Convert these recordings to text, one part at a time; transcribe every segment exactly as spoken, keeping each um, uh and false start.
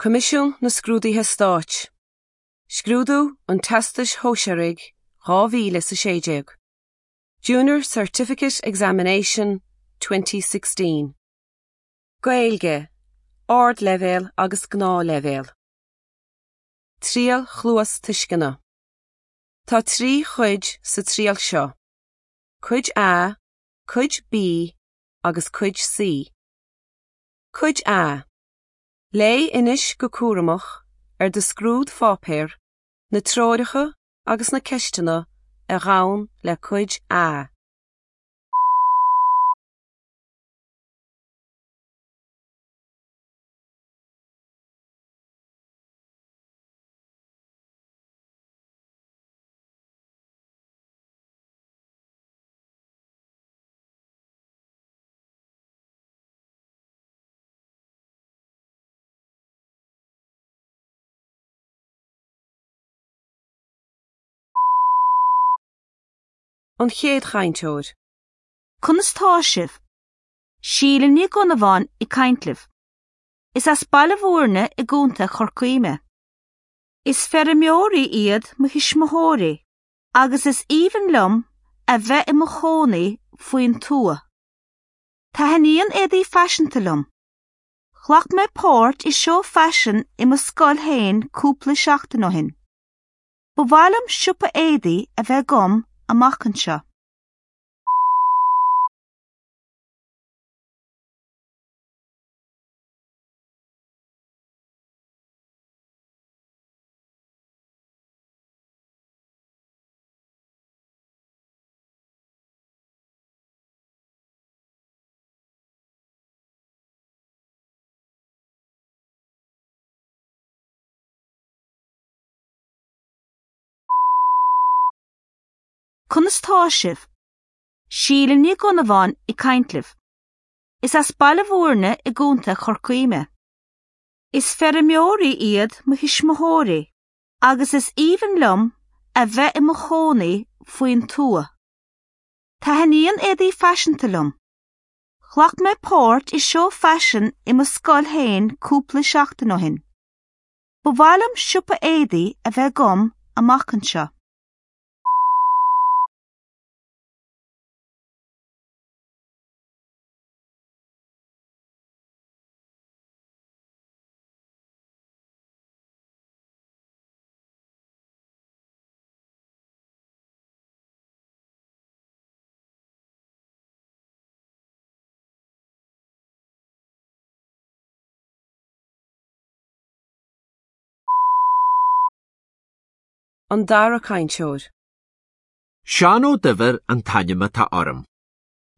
Coimisiún na Scrúduithe Stáit. Scrúdú an Teastais Shóisearaigh dhá mhíle is a sé déag. Junior Certificate Examination twenty sixteen. Gaeilge, Ardleibhéal agus Gnáthleibhéal. Triail Chluastuisceana. Tá trí chuid sa triail seo. Cuid A, Cuid B agus Cuid C. Cuid A. Léigh anois go cúramach ar do scrúdpháipéar, na treoracha agus na ceisteanna a ghabhann le Cuid A. An chéad chainteoir. Conas tá sibh? Síle Ní Dhonnabháin ag caint libh. Is as Baile Bhúirne i gContae Chorcaí mé. Is feirmeoirí iad mo thuismitheoirí, agus is aoibhinn liom a bheith i mo chónaí faoin tuath. Taitníonn éadaí faiseanta liom. Ghlac mé páirt i seó faisin i mo scoil féin cúpla seachtain ó shin. Ba mhaith liom siopa éadaí a bheith agam amach anseo. Conas tá sibh? Síle Ní Dhonnabháin ag caint libh. Is as Baile Bhúirne i gContae Chorcaí mé. Is feirmeoirí iad mo thuismitheoirí, agus is aoibhinn liom a bheith i mo chónaí faoin tuath. Taitníonn éadaí faiseanta liom. Ghlac mé páirt i seó faisin i mo scoil féin cúpla seachtain ó shin. Ba mhaith liom siopa éadaí a bheith agam amach anseo. An dara cainteoir. Seán Ó Duibhir an t-ainm atá orm.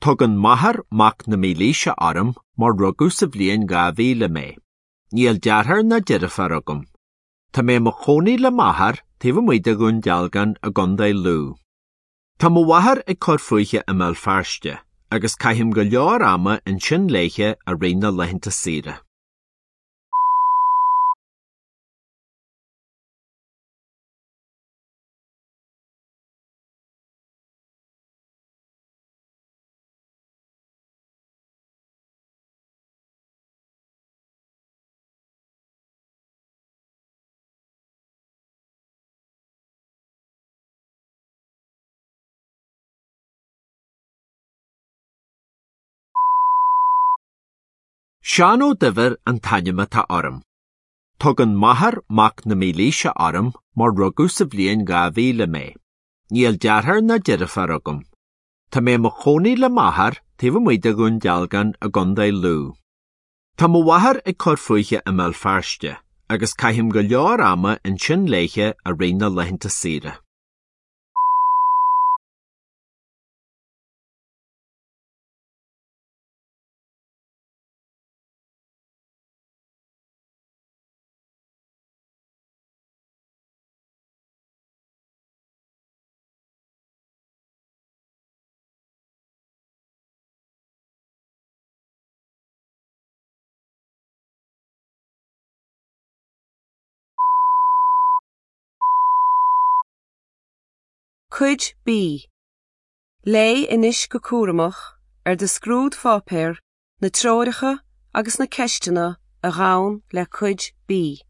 Tugann m'athair mac na mílaoise orm mar rugadh sa bhliain dhá mhíle mé. Níl deartháir ná deirfiúr agam. Tá mé i mo chónaí le m'athair taobh amuigh de Dhún Dealgan i gContae Lú. Tá mo mháthair ag cur fúithi i mBéal Feirste, agus caithim go leor ama ansin léithe i rith na laethanta saoire. Seán Ó Duibhir an t-ainm atá orm. Tugann m'athair mac na mílaoise orm mar rugadh sa bhliain dhá mhíle mé. Níl deartháir ná deirfiúr agam. Tá mé i mo chónaí le m'athair taobh amuigh de Dhún Dealgan i gContae Lú. Tá mo mháthair ag cur fúithi i mBéal Feirste, agus caithim go leor ama ansin léithe i rith na laethanta saoire. Cuid B. Léigh anois go cúramach ar do scrúdpháipéar, na treoracha agus na ceisteanna a ghabhann le Cuid B.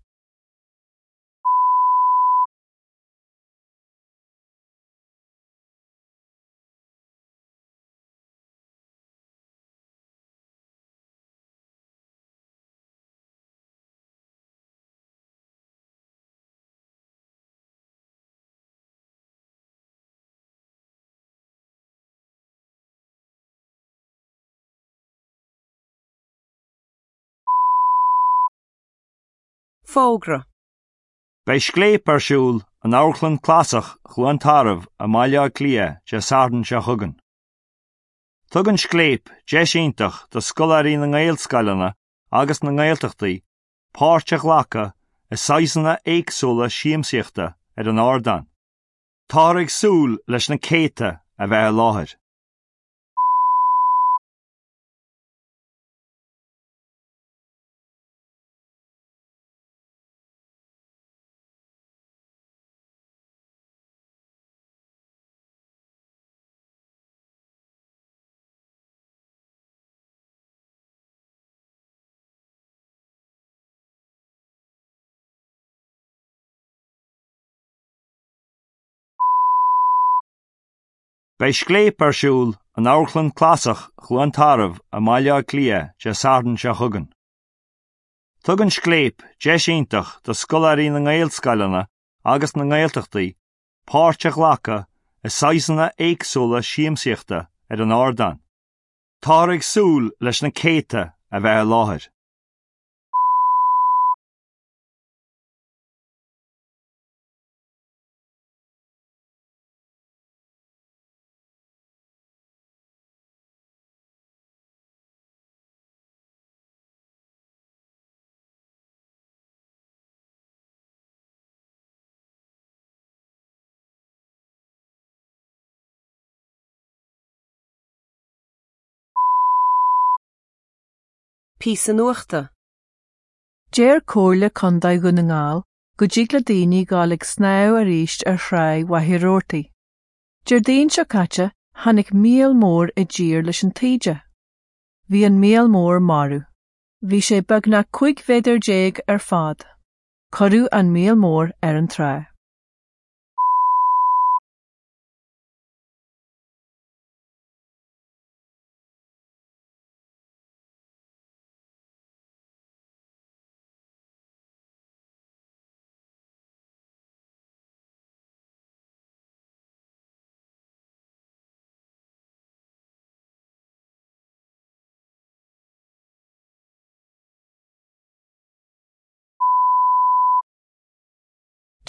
Fógra. Beidh scléip ar siúl in Amharclann Clasach Chluain Tarbh i mBaile Átha Cliath Dé Sathairn seo chugainn. Tugann scléip deis iontach do scoláirí na nGaelscoileanna agus na nGaeltachtaí páirt a ghlacadh i saghsanna éagsúla siamsaíochta ar an ardán. Táthar ag súil leis na céadta a bheith i láthair. Beidh scléip ar siúl in Amharclann Clasach Chluain Tarbh i mBaile Átha Cliath Dé Sathairn seo chugainn. Tugann scléip deis iontach do scoláirí na nGaelscoileanna agus na nGaeltachtaí páirt a ghlacadh i saghsanna éagsúla siamsaíochta ar an ardán. Táthar ag súil leis na céadta a bheith i láthair. Píosa nuachta. Deir Comhairle Contae Dhún na nGall go dtig le daoine dul ag snámh arís ar thrá Mhachaire Rabhartaigh. Déardaoin seo caite tháinig míol mór i dtír leis an taoide. Bhí an míol mór marbh. Bhí sé beagnach cúig mhéadar déag ar fad. Cuireadh an míol mór ar an trá.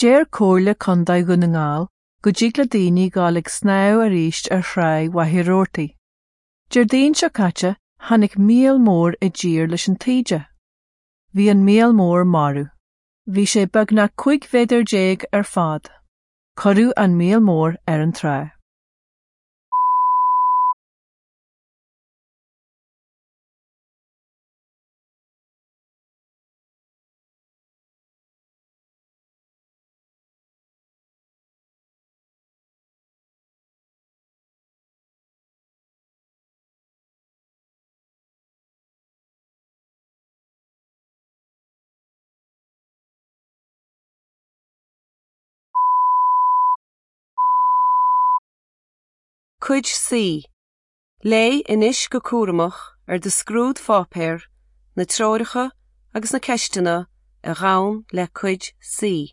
Deir Comhairle Contae Dhún na nGall go dtig le daoine dul ag snámh arís ar thrá Mhachaire Rabhartaigh. Déardaoin seo caite tháinig míol mór i dtír leis an taoide. Bhí an míol mór marbh. Bhí sé beagnach cúig mhéadar déag ar fad. Cuireadh an míol mór ar an trá. Cuid C. Léigh anois go cúramach ar do scrúdpháipéar, na treoracha agus na ceisteanna a ghabhann le Cuid C.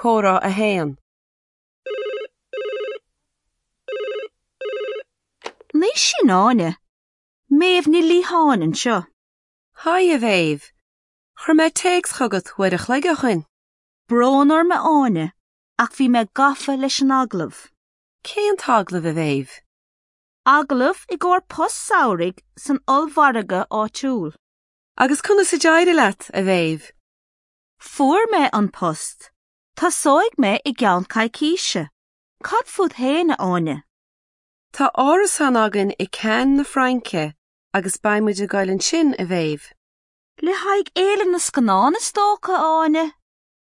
Comhrá a haon. Ní sin Áine. Méabh Ní Liatháin anseo. Haigh a Mhéabh. Chuir mé téacs chugat uair a chloig ó shin. Brón orm a Áine, ach bhí mé gafa leis an agallamh. Cén t-agallamh a Mhéabh? Agallamh i gcomhair post samhraidh san ollmhargadh áitiúil. Agus conas a d'éirigh leat a Mhéabh? Fuair mé an post. Tosóidh mé i gceann coicíse. Cad fút féin a Áine? Tá árasán againn i Cannes na Fraince agus beidh muid ag dul ansin a Mhéabh. Le haghaidh Fhéile na Scannán is dócha a Áine?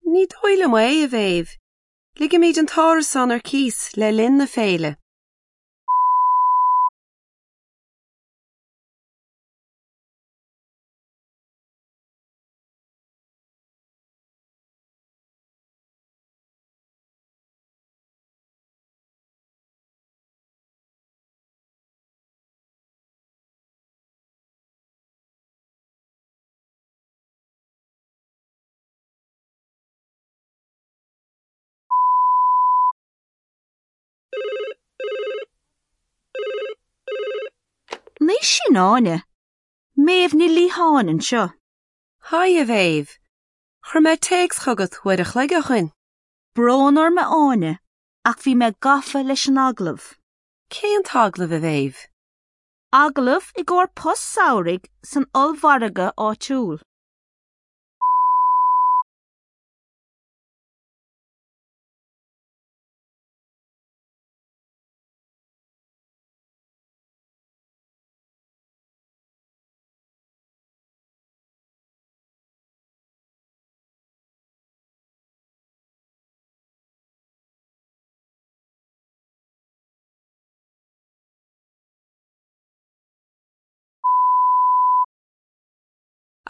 Ní dóigh liom é a Mhéabh. Ligimid an t-árasán ar cíos le linn na féile. Ní sin Áine. Méabh Ní Liatháin anseo. Haigh a Mhéabh. Chuir mé téacs chugat uair a chloig ó shin. Brón orm a Áine, ach bhí mé gafa leis an agallamh. Cén t-agallamh a Mhéabh? Agallamh i gcomhair post samhraidh san ollmhargadh áitiúil.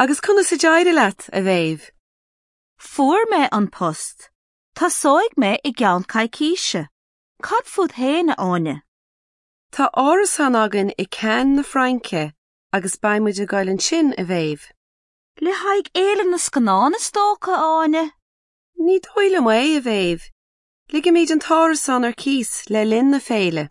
Agus conas a d'éirigh leat a Mhéabh? Fuair mé an post. Tosóidh mé i gceann coicíse. Cad fút féin a Áine? Tá árasán againn i Cannes na Fraince agus beidh muid ag dul ansin a Mhéabh. Le haghaidh Fhéile na Scannán is dócha a Áine? Ní dóigh liom é a Mhéabh. Ligimid an t-árasán ar cíos le linn na féile.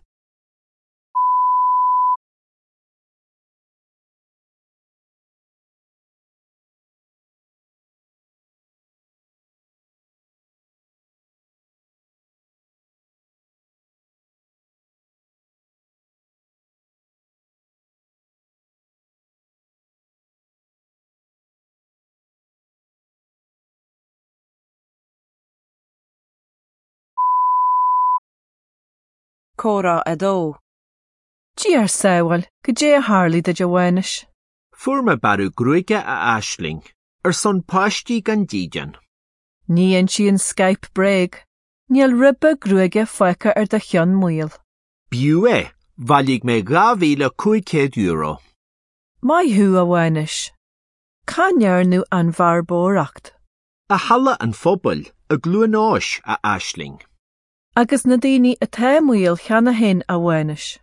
Comhrá a dó. Dia ár sábháil, goidé a tharla duit a Mhánuis. Fuair mé bearradh gruaige a Aisling, ar son páistí gan dídean. Ní insíonn Skype bréag, níl ribe gruaige fágtha ar do cheann maol. B'fhiú é, bhailigh mé dhá mhíle cúig chéad euro. Maith thú a Mhánuis. Cá ndearnadh an bhearbóireacht? I Halla an Phobail, i gCluain Eois a Aisling. Agus na daoine atá maol cheana féin a Mhánuis.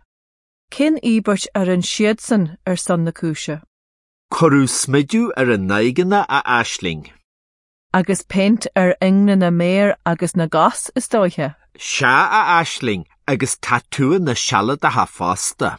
Cén íobairt ar an siadsan ar son na cúise? Cuireadh smideadh ar a n-aghaidheanna a Aisling. Agus péint ar ingne na méar agus na gcos is dóiche. Sea a Aisling agus tatúanna sealadacha fosta.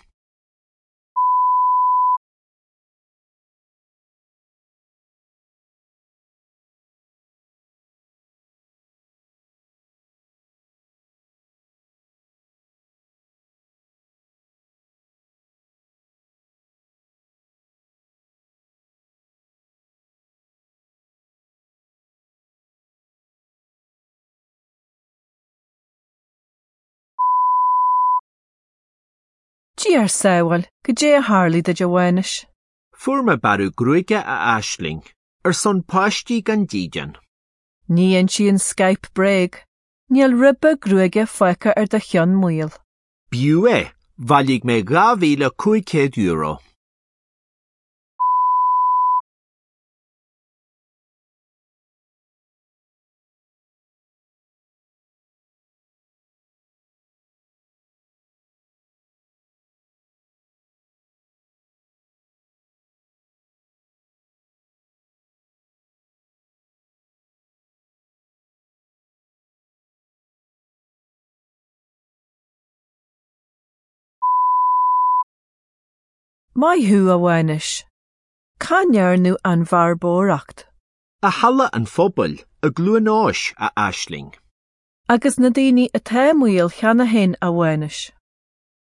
Dia ár sábháil, goidé a tharla duit a Mhánuis. Fuair mé bearradh gruaige a Aisling, ar son páistí gan dídean. Ní insíonn Skype bréag, níl ribe gruaige fágtha ar do cheann maol. B'fhiú é, bhailigh mé dhá mhíle cúig chéad euro. Maith thú a Mhánuis. Cá ndearnadh an bhearbóireacht? I Halla an Phobail, i gCluain Eois a Aisling. Agus na daoine atá maol cheana féin a Mhánuis.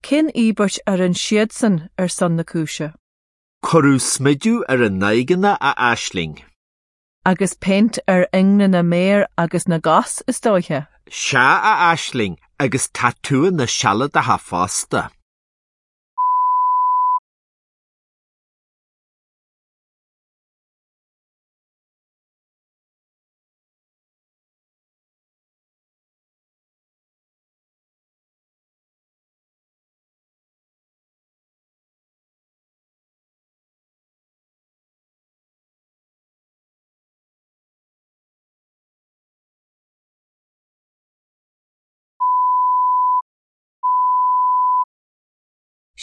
Cén íobairt ar an siadsan ar son na cúise? Cuireadh smideadh ar a n-aghaidheanna a Aisling. Agus péint ar ingne na méar agus na gcos is dóiche. Sea a Aisling agus tatúanna sealadacha fosta.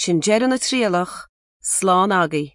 Sin deireadh na trialach, slán agaibh.